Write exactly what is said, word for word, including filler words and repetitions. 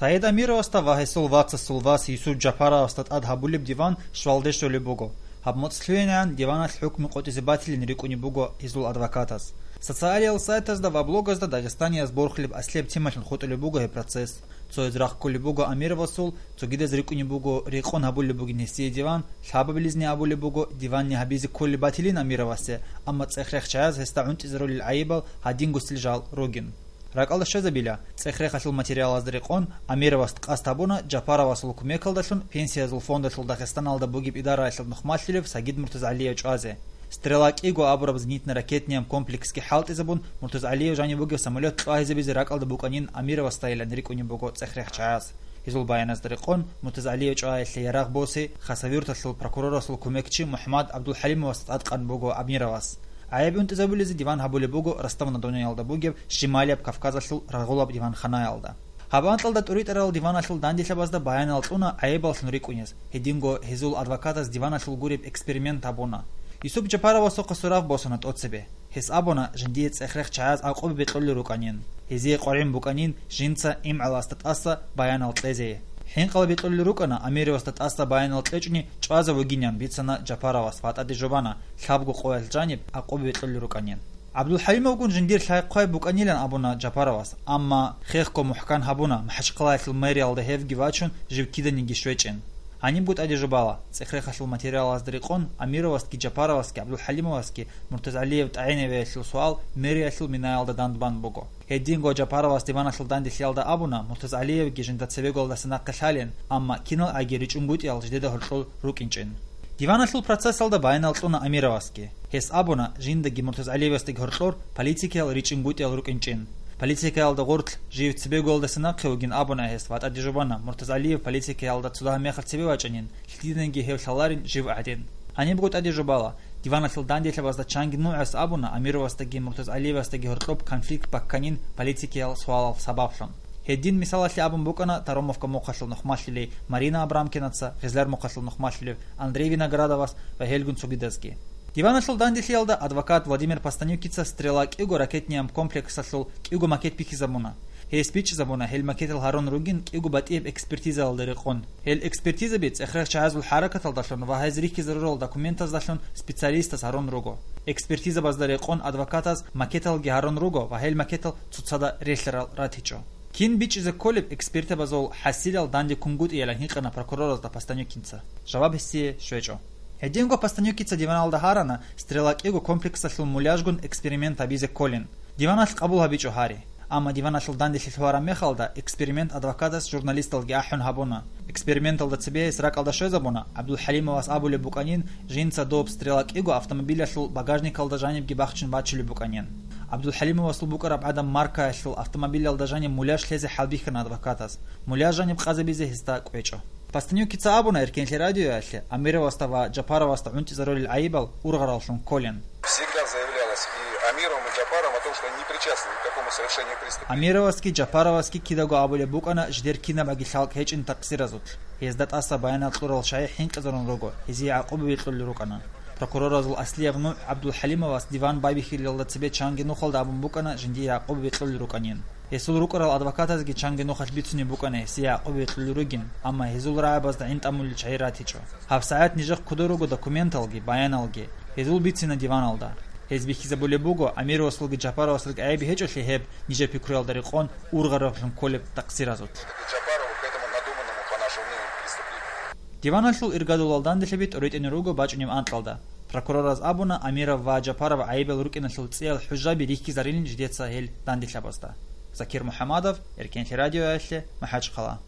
Саид Амировасда ва гьесул вацасул вас Юсуп Жапаровасда тӀад гьабулеб диван щвалде щолеб буго. Гьаб моцӀ лъугӀинегӀан диваналъ хӀукму къотӀизе батилин рикӀкӀунеб буго гьезул адвокатаз. Социалиял сайтазда ва блогазда дагъистанияз борхулеб аслияб темалъун хутӀулеб буго гьеб процесс. Цояз рахъ кколеб буго Амировасул, цогидаз рикӀкӀунеб буго рекъон гьабулеб бугин гьесие диван, лъабабилизни абулеб буго диванни гьабизе кколеб батилин Амировасе, амма цӀех-рех чагӀаз гьесда гӀунтӀизарулел гӀайибал гьадингосел жал ругин. РакӀалда щвезабила, цӀех-рехалъул материалазда рекъон, Амировас къасд гьабуна Жапаровасул кумекалдалъун Пенсиязул фондалъул Дагъистаналда бугеб идараялъул нухмалъулев Сагид Муртазгьалиев чӀвазе. «Стрела» кӀиго абураб зенитно-ракетнияб комплексги хӀалтӀизабун, Муртазгьалиев жанив бугеб самолет кьвагьизабизе ракӀалда букӀанин Амировасдайилан рикӀкӀунеб буго цӀех-рех чагӀаз. Гьезул баяназда рекъон, Муртазгьалиев чӀваялъе ярагъ босе Хасавюрталъул прокурорасул кумекчи МухӀаммад ГӀабдулхӀалимовасда тӀадкъан буго Амировас. ГӀайиб унтӀизабулезе диван гьабулеб буго Ростов-на-Доноялда бугеб Щемалияб Кавказалъул рагъулаб диванханаялда. Гьаб анкьалда тӀуритӀарал диваналъул данделъабазда баянал кьуна гӀайибаллъун рикӀкӀунез, гьединго гьезул адвокатаз диваналъул гуреб эксперимент гьабуна. Юсуп Жапаровасухъа сурав босана тӀоцебе. Гьес абуна, жиндие цӀех-рех чагӀаз гӀакъуба бекьулел рукӀанин. Гьезие къваригӀун букӀанин жинца имгӀаласда тӀаса баянал кьезе. ХӀинкъала бекьулел рукӀана Амировасда тӀаса баянал кьечӀони чӀвазе вугинин бицана Жапаровас ва тӀаде жубана, лъабго къоялъ жаниб гӀакъуба бекьулел рукӀанин. ГӀабдулхӀалимовгун жиндир лъай-хъвай букӀанилан абуна Жапаровас, амма хехго мухӀкан гьабуна МахӀачхъалаялъул мэриялда гьевги вачун жив киданиги щвечӀин. Гьанибго тӀаде жубала, цӀех-рехалъул материалазда рекъон, Амировасги Жапаровасги ГӀабдулхӀалимовасги Муртазгьалиев тӀагӀинавиялъул суал мэриялъул минаялда дандбан буго. Гьединго Жапаровас диваналъул данделъиялда абуна, Муртазгьалиевги жинда цебеголдаса нахъе лъалин, амма киналгӀаги ричӀунгутӀиял жидеда гьоркьор рукӀинчӀин. Диваналъул процессалда баянал кьуна Амировасги. Гьес абуна, жиндаги Муртазгьалиевасдаги гьоркьор политикиял ричӀунгутӀиял рукӀинчӀин. Политикаялда гъорлъ жив цебеголдаса нахъе вугин абуна гьес ва тӀаде жубана, Муртазгьалиев политикаялда цо дагьаб мехалъ цебе вачӀанин, лъиданиги гьев лъаларин жив гӀадин. Гьанибго тӀаде жубала, диваналъул данделъабазда чанги нугӀас абуна Амировасдаги Муртазгьалиевасдаги гьоркьоб конфликт бакканин политикиял суалал сабаблъун. Гьедин мисалалъе абун букӀана Таромовка мухъалъул нухмалъулей Марина Абрамкинаца, Гъезлар мухъалъул нухмалъулев Андрей Виноградовас ва гьелгун цогидазги. Диваналъул данделъиялда адвокат Владимир Постанюкица «Стрела» кӀиго ракетнияб комплексалъул кӀиго макет бихьизабуна. Гьес бичӀчӀизабуна, гьел макетал гьарун ругин кӀиго батӀияб экспертизаялда рекъон. Гьел экспертизаби цӀех-рех чагӀазул хӀаракаталдалъун ва гьез рихьизарурал документаздалъун специалистаз гьарун руго. Экспертизабазда рекъон адвокатаз макеталги гьарун руго ва гьел макетал цоцазда релълъарал ратичӀо. Кин бичӀчӀизе кколеб экспертизабазул хӀасилал данде ккунгутӀиялин гьикъана прокуроразда Постанюкинца. Жаваб гьесие щвечӀо. Гьединго Постанюкица диваналда гьарана, «Стрела» кӀиго комплексалъул муляжгун эксперимент гьабизе кколин. Диваналъ къабул гьабичӀо гьари. Амма диваналъул данделъи лъугьараб мехалда эксперимент адвокатас журналисталги ахӀун гьабуна. Эксперименталда цебе гьес ракӀалда щвезабуна, ГӀабдулхӀалимовас абулеб букӀанин, жинца доб «Стрела» кӀиго автомобилялъул багажникалда жанибги бахчун бачулеб букӀанин. ГӀабдулхӀалимовасул букӀараб гӀадан маркаялъул автомобилялда жаниб муляж лъезе хӀалбихьана адвокатас. Муляж жаниб къазабизе гьесда кӀвечӀо. Постанюкица абуна Эркенлъи радиоялъе, Амировасда ва Жапаровасда гӀунтӀизарулел гӀайибал ургъараллъун кколин. Всегда заявлялось и Амировым, и Джапаровым о том, что они не причастны ни к какому совершению преступления. Амировасги Жапаровасги кидаго абулеб букӀана жидер кинабаги лъалкӀ гьечӀин такъсиразулъ. Гьезда тӀаса баянал кьурал чагӀи хӀинкъизарун руго, гьезие гӀакъуба бекьулел рукӀана. Прокуроразул аслияб нугӀ ГӀабдулхӀалимовас диван байбихьилалда цебе чанги нухалда абун букӀана жиндие гӀакъуба бекьулел рукӀанин. Гьесул рукӀарал адвокатазги чанги нухалъ бицунеб букӀана гьесие гӀакъуба бекьулел ругин, амма гьезул рагӀабазда гӀинтӀамулел чагӀи ратичӀо. Гьаб сагӀат нижехъ кодор руго документалги, баяналги. Гьезул бицина диваналда. Гьез бихьизабулеб буго, Амировасулги Жапаровасулги гӀайиб гьечӀолъи гьеб, нижер пикруялда рекъон, ургъараллъун кколеб такъсиразулъ. Джапарова к этому надуманному, по нашему мнению, преступлению. Диваналъул иргадулал данделъаби тӀоритӀине руго бачӀунеб анкьалда. Прокурораз абуна, Амиров ва Жапаров гӀайибал рукӀиналъул цӀиял хӀужаби рихьизарилин жидеца гьел данделъабазда. Закир МухӀамадов, Эркенлъи радиоялъе, МахӀачхъала.